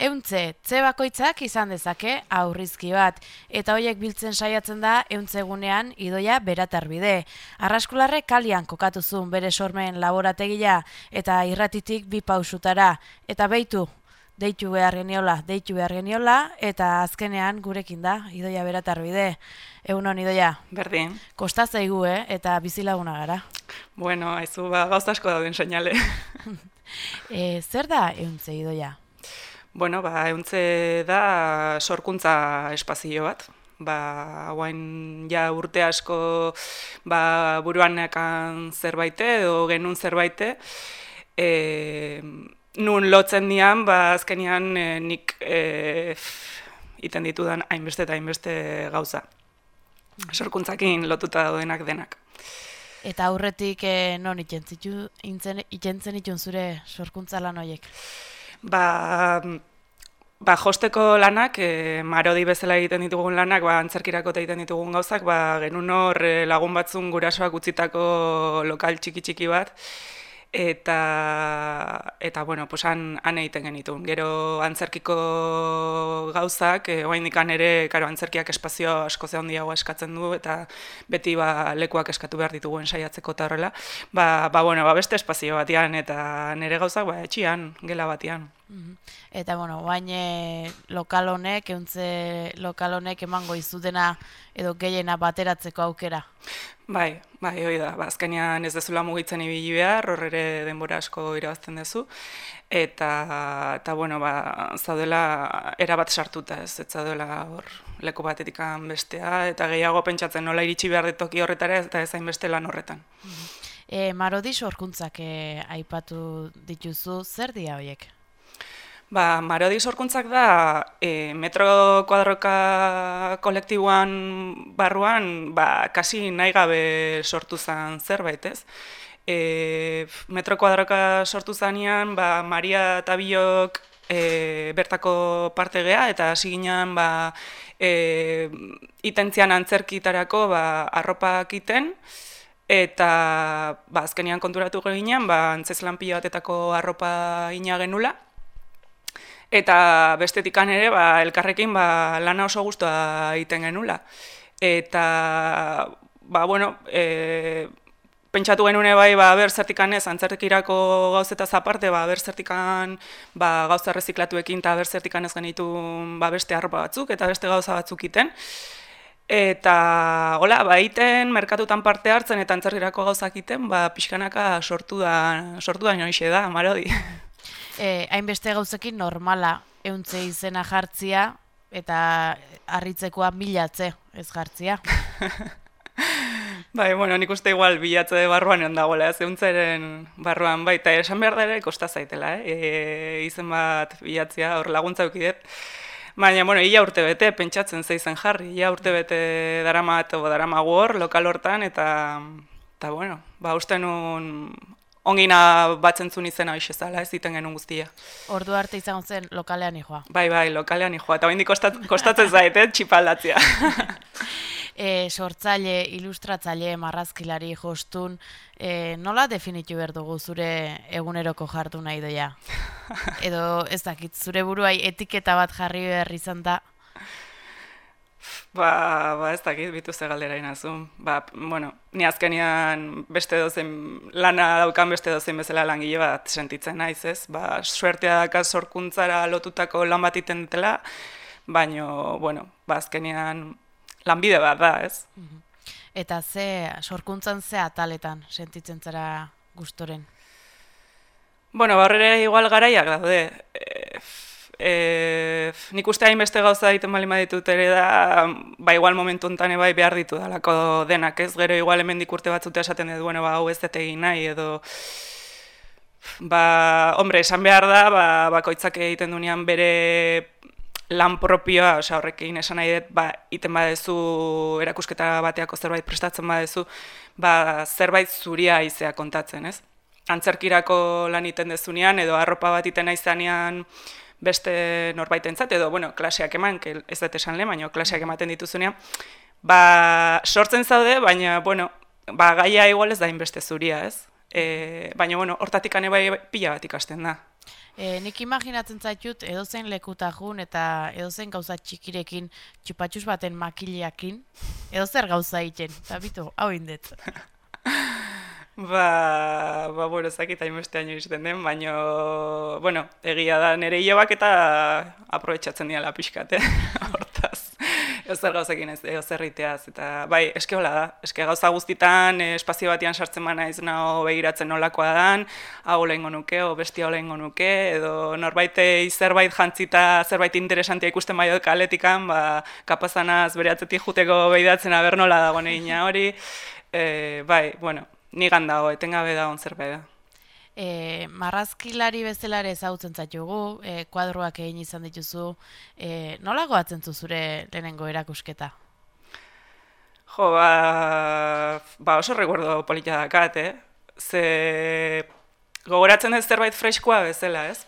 Euntze, bakoitzak izan dezake aurrizki bat, eta hoiek biltzen saiatzen da euntzegunean idoia beratarbide. Arraskularre kalian kokatu zuen bere sormen laborategia eta irratitik 2 pausutara, eta deitu behar geniola, eta azkenean gurekin da idoia beratarbide. Egunon idoia. Berdin. Kosta zaigu, eta bizilaguna gara. Bueno, haizu gauza asko dauden seinale. Zer da euntze idoia? Bueno, euntze da sorkuntza espazio bat. Hauain ja urte asko buruan nekan zerbaite edo genuen zerbaite. Nun lotzen dian, azkenian nik iten ditudan hainbeste eta hainbeste gauza. Sorkuntzakin lotuta daudenak denak. Eta aurretik non ikentzen itun zure sorkuntza lan horiek? Josteko lanak, marodi bezala egiten ditugun lanak, antzerkirako egiten ditugun gauzak, genuen hor lagun batzun gurasoak utzitako lokal txiki bat, eta bueno, han egiten genitun. Gero antzerkiko gauzak, oraindikan ere, antzerkiak espazio asko ze handiago eskatzen du, eta beti lekuak eskatu behar ditugun saiatzeko eta horrela. Beste espazio batean, eta nire gauzak etxian, gela batean. Eta, bain lokal honek, euntze lokal honek emango izutena edo gehiena bateratzeko aukera? Bai, hori da. Azkenean ez dezula mugitzen ibili behar, hor ere denbora asko irabazten duzu. Eta zaudela erabat sartuta ez zaudela hor leku batetik bestea, eta gehiago pentsatzen nola iritsi behar detoki horretara eta ez hainbeste lan horretan. Marodi sorkuntzak aipatu dituzu, zer dira horiek? Marodi sorkuntzak da metro kuadroka kolektiboan barruan kasi nahi gabe sortu zen zerbait, ez? Metro kuadroka sortu zanean, Maria eta Biok bertako parte gea, eta hasi ginen itentzian antzerkitarako arropak iten, eta azkenean konturatu ginen, antzeslan pila batetako arropa ina genula, eta bestetikan ere, elkarrekin lana oso guztua egiten genula. Eta, pentsatu genune ber zertikan ez, antzerkirako gauzetaz aparte, ber zertikan gauza erreziklatuekin eta ber zertikan ez genitu beste arropa batzuk eta beste gauza batzuk iten. Eta, iten, merkatutan parte hartzen eta antzerkirako gauzak iten, pixkanaka sortu da noixe da, Marodi. Hainbeste gauzekin normala euntze izena jartzia eta harritzekoa bilatze ez jartzia. Nik uste igual bilatze barruan egon dagoela, ez euntzeren barruan, eta esan behar da ere kosta zaitela, izen bat bilatzia, hor laguntza eukidet. Baina, ia urte bete, pentsatzen zeizen jarri, ia urte bete daramagu hor, lokal hortan, eta uste nun ongina batzen zuen izena hoxe zala, ez iten genuen guztia. Ordu arte izango zen lokalean ijoa. Bai, lokalean ijoa, eta hendik kostatzen zait, txipaldatzea. Sortzaile, ilustratzaile, marrazkilari, jostun, nola definitu behar dugu zure eguneroko jartu nahi doia? Edo ez dakit, zure buruai etiketa bat jarri behar izan da? Ez dakit, bitu ze galdera inazun. Ni azkenean beste dozen, lana daukan beste dozen bezala langile bat sentitzen naiz, ez? Suertea daka sorkuntzara lotutako lan bat iten dutela, baina, azkenean lanbide bat da, ez? Eta sorkuntzan ze ataletan sentitzen zara gustoren? Horre igual garaiak daude. Nik uste hainbeste gauza egiten bali maditut ere da, igual momentu honetan behar ditu dalako denak, ez? Gero igual hemendik urte batzutea esaten dut, hau ez dut egin nahi, edo... esan behar da, bakoitzak egiten dunean bere lan propioa, horrekin esan nahi dut, iten badezu, erakusketa bateako zerbait prestatzen badezu, zerbait zuria izea kontatzen, ez? Antzerkirako lan iten dezunean, edo arropa bat iten aizanean, beste norbaitentzat, edo, klaseak eman, ez dut esan lehen, baina klaseak ematen dituzunean, sortzen zaude, baina, gaia igual ez da inbeste zuria, ez? Baina, hortatik ane bai pila bat ikasten da. Nik imaginatzen zaitut edozein lekuta jun eta edozein gauza txikirekin txupatxus baten makileakin, edozer gauza egiten, eta bitu, hau indet. Bueno, ezakit hainbeste haino izten den, baina, bueno, egia da nire hilobak eta aprobetxatzen diala pixkat, hortaz. Eozer gauzekin ez, eozer iteaz, eta bai, eske hola da, eske gauza guztitan, espazio batian sartzen mana ez naho begiratzen nolakoa dan, hau lehengo nuke, o bestia lehengo nuke, edo norbaitei zerbait jantzita, zerbait interesantia ikusten bai dut kaletikan, kapazanaz bere atzetik juteko behidatzen aber nola dago negina hori, bai, bueno, nigan dago, etengabe dagoen zerbait da. Marrazkilari bezala ere ezagutzen zaitugu, kuadroak egin izan dituzu, nola goatzen zu zure lehenengo erakusketa? Jo, oso recuerdo polita dakat, Ze gogoratzen ez zerbait freskoa bezala, ez?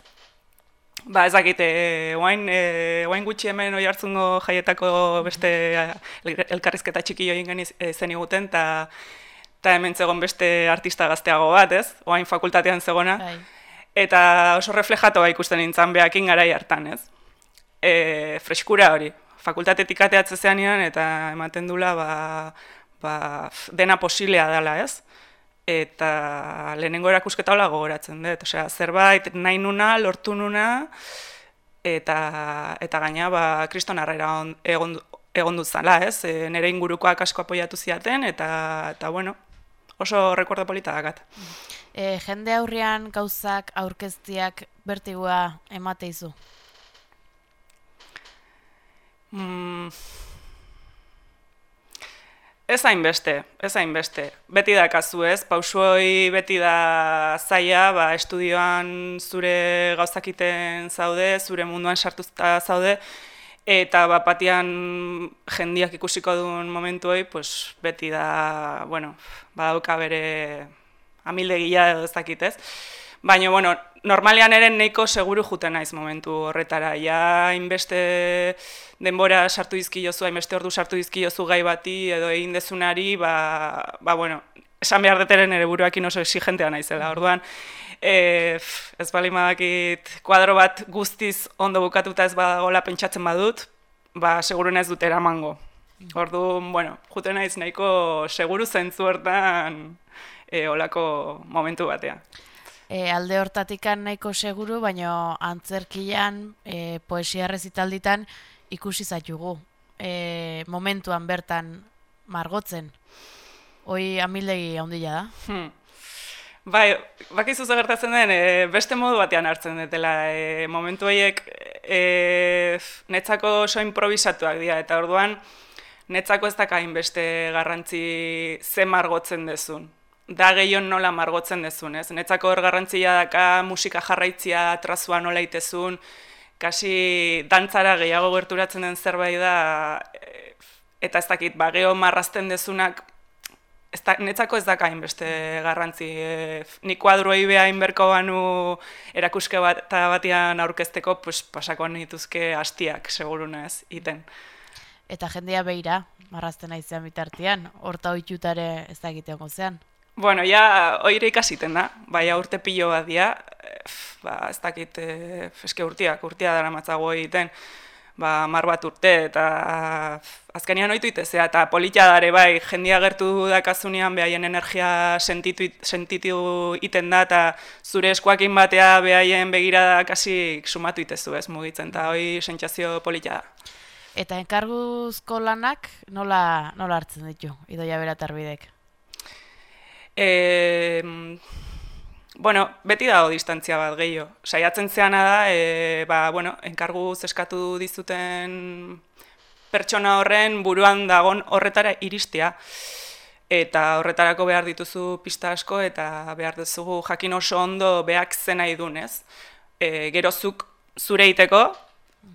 Ez dakit, oain gutxi hemen oi hartzungo jaietako beste elkarrizketa txiki join zen iguten, eta hemen zegoen beste artista gazteago bat, ez? Oain fakultatean zegona. Eta oso reflejatu ikusten nintzen behakin garai hartan, ez? Freskura hori. Fakultatetik ateatze zeanian eta ematen dula dena posiblea dela, ez? Eta lehenengo erakusketa hola gogoratzen dut. Osea, zerbait nahi nuna, lortu nuna, eta gaina kriston arrera egon dut zala, ez? Nire ingurukoak asko apoiatu ziaten, eta bueno, oso recuerdo polita dakat. Jende aurrean gauzak aurkeztiak bertigua emateizu? Ez hainbeste. Beti da kasu ez, pausuoi beti da zaila, estudioan zure gauzakiten zaude, zure munduan sartuta zaude, eta batian jendiak ikusiko duen momentu hori, beti da, badauka bere amildegia edo ez dakit ez. Baina, normalean ere nahiko seguru juten naiz momentu horretara. Ja, hainbeste denbora sartu dizkiozu, hainbeste ordu sartu dizkiozu gai bati edo egin dezunari, esan behar deteren ere buruakin oso exigentea naizela. Orduan, ez bali madakit kuadro bat guztiz ondo bukatuta ez badagola pentsatzen badut, seguruen ez dut eramango. Orduan, juten naiz nahiko seguru zentzu hortan olako momentu batean. Alde hortatikan nahiko seguru, baina antzerkian, poesia rezitalditan ikusi zaitugu. Momentuan bertan margotzen. Hoi amildegi handia da? Bakizu gertatzen den, beste modu batean hartzen dutela. Momentu horiek netzako oso improvisatuak dira, eta orduan netzako ez dakain beste garrantzi ze margotzen dezun. Da gehion nola margotzen dezun, ez? Netzako hor garrantzia daka musika jarraitzia, trazua nola itezun, kasi dantzara gehiago gerturatzen den zerbait da, eta ez dakit, geho marrazten dezunak, netzako ez dakain beste garrantzi. Nik kuadroei behain berko banu erakuske batian aurkezteko, pasako nituzke hastiak, seguruna ez, iten. Eta jendea beira, marrazten aizean bitartean, horta oitutare ez dakitean gozean? Ja, oire ikasiten da, urte pilo bat dia, ez dakit, eske urtia dara matzago egiten, 10 bat urte, eta azkenean oitu itezea, eta politia dare jendia gertu dakazunean behaien energia sentitu iten da, eta zure eskuakin batea behaien begirada kasi sumatu itezu ez mugitzen, eta hoi sentsazio politia da. Eta enkarguzko lanak nola hartzen ditu, Idoia Beratarbidek? Beti dago distantzia bat gehiago. Saiatzen zeana da, enkarguz eskatu dizuten pertsona horren buruan dagon horretara iristea. Eta horretarako behar dituzu pista asko eta behar duzu jakin oso ondo beak zen nahi dunez. Gerozuk zure iteko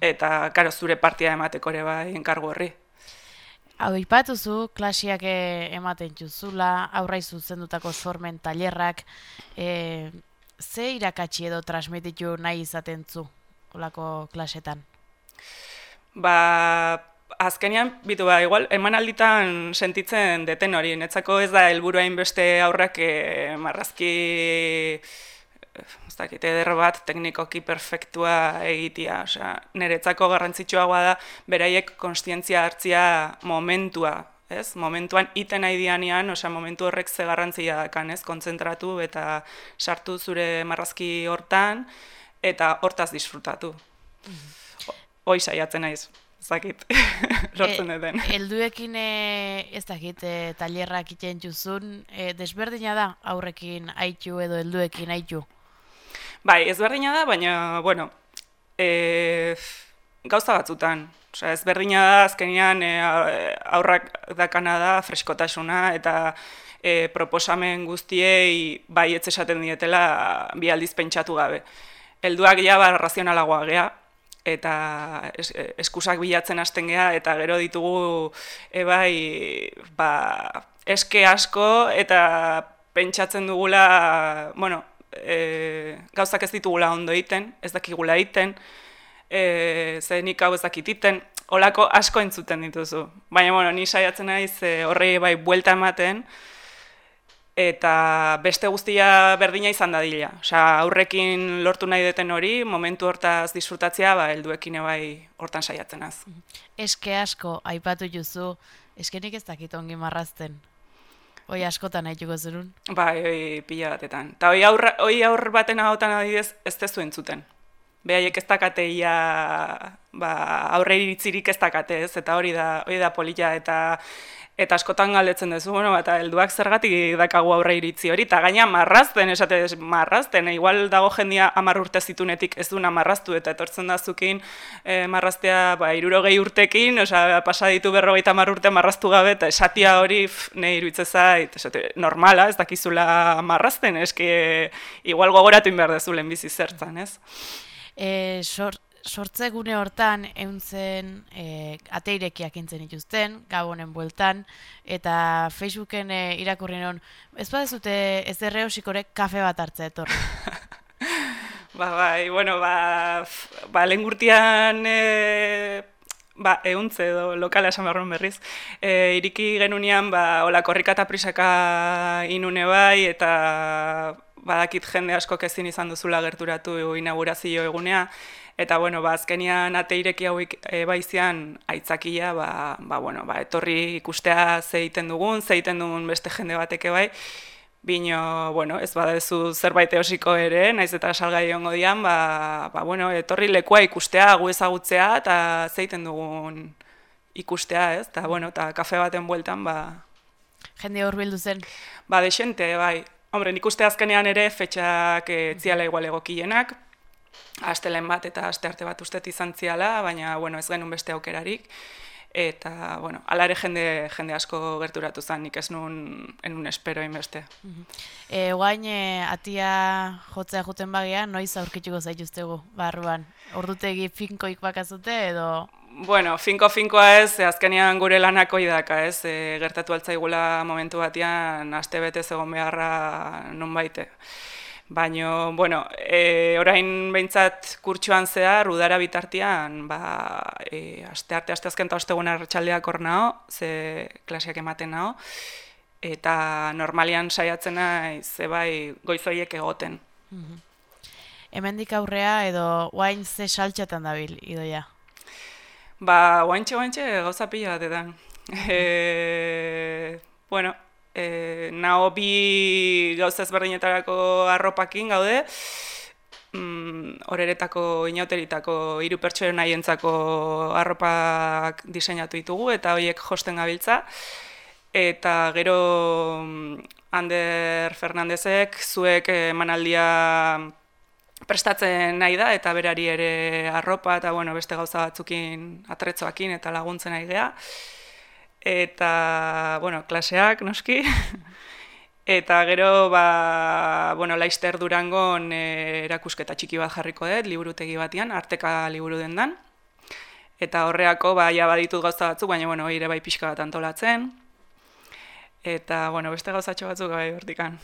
eta zure partia emateko ere enkargu horri. Hau ipatuzu, klasiak ematen juzula, aurrai zuzendutako sormen tailerrak, ze irakatsi edo transmititu nahi izaten zu, olako klasetan? Azkenean, igual, emanalditan sentitzen deten hori, netzako ez da helburu hainbeste aurrak marrazki ez dakit, eder bat teknikoki perfektua egitea. Osea, niretzako garrantzitsuagoa da beraiek kontzientzia hartzia momentua, ez? Momentuan iten nahi dianean, osea, momentu horrek ze garrantzia dakan, ez? Kontzentratu eta sartu zure marrazki hortan eta hortaz disfrutatu. Hoi saiatzen naiz. Ez dakit, lortzen duten. Helduekin ez dakit tailerrak iten juzun, desberdina da aurrekin aitu edo helduekin aitu? Bai, ezberdina da, baina, bueno, gauza batzutan. Osea, ezberdina da, azkenean aurrak dakana da freskotasuna eta proposamen guztiei bai ez esaten dietela bi aldiz pentsatu gabe. Helduak ja razionalagoa gea, eta eskusak bilatzen hasten gea, eta gero ditugu eske asko, eta pentsatzen dugula, bueno, gauzak ez ditugula ondo egiten, ez dakigula egiten, nik hau ez dakit egiten, holako asko entzuten dituzu. Baina, bueno, ni saiatzen naiz horrei bai buelta ematen, eta beste guztia berdina izan dadila. Osea, aurrekin lortu nahi deten hori, momentu hortaz disfrutatzea, helduekin bai hortan saiatzen az. Eske asko aipatu juzu, eskenik ez dakit ongi marrazten. Hoi askotan haituko zerun? Bai, pila batetan. Eta hoi aur baten ahotan adidez ez tezu entzuten. Behaiek ez dakateia, aurre iritzirik ez dakate ez, eta hori da polita, eta askotan galdetzen duzu, bueno, eta helduak zergatik dakagu aurre iritzi hori, eta gaina marrazten, igual dago jendia 10 urte zitunetik ez duna marraztu, eta etortzen da zukin marraztea 60 urtekin, osea, pasa ditu 50 urte marraztu gabe, eta esatia hori nahi iruditzen zait, normala, ez dakizula marrazten, eske igual gogoratu inbehar dezu lehenbizi zertzan, ez? Sortze gune hortan euntzen ateirekiak intzen dituzten, Gabonen bueltan, eta Facebooken irakurri non, ez badezute ez erreosikorek kafe bat hartzea etorri. Bai, bueno, lehen gurtian euntze edo lokala esan behar berriz, iriki genunean, hola korrika eta prisaka inune bai, eta badakit jende askok ezin izan duzula gerturatu inaugurazio egunea, eta, bueno, azkenian ateireki hauik baizian aitzakia, etorri ikustea zeiten dugun beste jende bateke bai, bino, bueno, ez badezu zerbait eosiko ere, naiz eta salgai ongo dian, etorri lekua ikustea, gu ezagutzea, eta zeiten dugun ikustea, ez? Eta, bueno, eta kafe baten bueltan, jende hor bildu zen? Desente, bai. Hombre, nik uste azkenean ere fetxak ziala igual egokienak, astelen bat eta aste arte bat ustet izan ziala, baina, bueno, ez genuen beste aukerarik. Eta, bueno, ala ere jende asko gerturatu zen, nik ez nuen espero inbeste. Guain, atia jotzea juten bagia, noiz aurkituko zaituztegu, barruan? Ordutegi finkoik bakazute edo... Bueno, finkoa ez, azkenean gure lanako idaka, ez, gertatu altzaigula momentu batean aste betez egon beharra non baite. Baina, bueno, orain behintzat kurtsuan zehar, udara bitartean, asteazken eta osteguna arratsaldeak hor nao, ze klaseak ematen nao, eta normalian saiatzen naiz, bai goizoiek egoten. Hemendik aurrea edo guain ze saltxatan dabil, Idoia? Guaintxe gauza pila batetan. Bueno, nao bi gauza ezberdinetarako arropakin gaude, horeretako, inauteritako, 3 pertsonen haientzako arropak diseinatu ditugu, eta horiek josten gabiltza. Eta gero Ander Fernandezek zuek emanaldia prestatzen nahi da, eta berari ere arropa, eta bueno, beste gauza batzukin atretzoakin eta laguntzen nahi gea. Eta, bueno, klaseak, noski. Eta gero, Laster Durangon erakusketa txiki bat jarriko dut, liburutegi batean, Arteka liburu dendan. Eta horreako, ja baditut gauza batzuk, baina, bueno, ere bai pixka bat antolatzen. Eta, bueno, beste gauzatxo batzuk bai hortikan.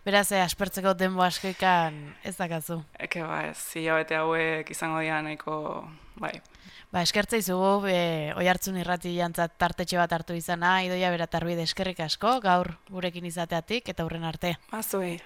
Beraz, aspertzeko denbo askoikan ez dakazu? Eke, ez, hilabete hauek izango dira nahiko, bai. Eskertza izugu, Oihartzun irrati jantzat tartetxe bat hartu izana, Idoia Beratarbide eskerrik asko, gaur gurekin izateatik, eta hurren arte. Zuei.